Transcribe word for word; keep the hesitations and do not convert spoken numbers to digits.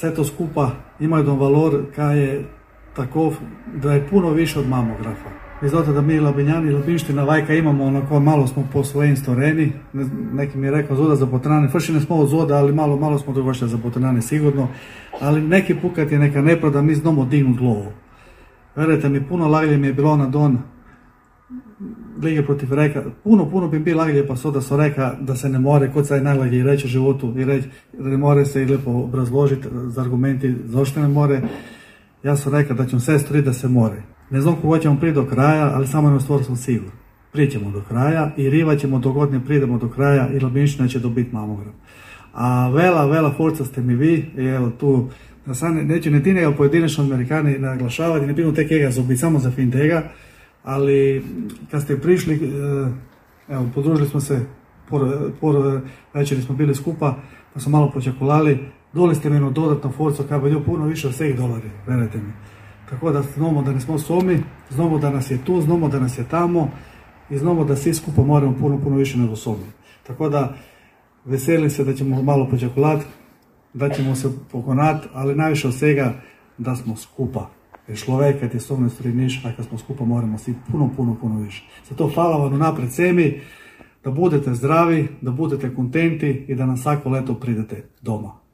Vse to skupa ima jedan valor, kaj je takov, da je puno više od mamografa. Vi znate da mi Labinjani i Labinština vajka imamo onako malo smo po svojim storeni, ne, neki mi je rekao zoda za botrane, frši ne smo od zoda, ali malo, malo smo dogošli za botrane sigurno, ali neki pukat je neka nepravda, mi znamo dignut lovu. Verujte mi, puno laglje mi je bilo na don lige protiv Reka, puno, puno bi bil laglje pa so da so reka da se ne more, kot se je najlaglje reći u životu i reći da ne more se i lepo obrazložiti z argumenti zašto ne more. Ja sam rekao da ćemo sve storiti da se more. Ne znam koga ćemo priti do kraja, ali samo jednu stvar sam siguran. Prićemo do kraja i rivat ćemo dok god ne pridemo do kraja i Labinština će dobiti mamogram. A vela, vela forca ste mi vi i evo tu, neću ne ti nego pojedinačno Amerikani naglašavati, ne binu te kega zobiti samo za fin tega, ali kad ste prišli, evo, podružili smo se, por, por večeri smo bili skupa, pa smo malo počakulali, doli ste mi jednu dodatnu forcu, kaj bi puno više od svih dolari, verujte mi. Tako da znamo da nismo somi, znamo da nas je tu, znamo da nas je tamo i znamo da svi skupa moramo puno, puno više nego somi. Tako da veselim se da ćemo malo počakulati, da ćemo se pokonati, ali najviše od svega da smo skupa. Jer človek, kad je somno striniš, a kad smo skupa moramo svi puno, puno, puno više. Zato hvala vam napred semi, da budete zdravi, da budete kontenti i da na svako leto pridete doma.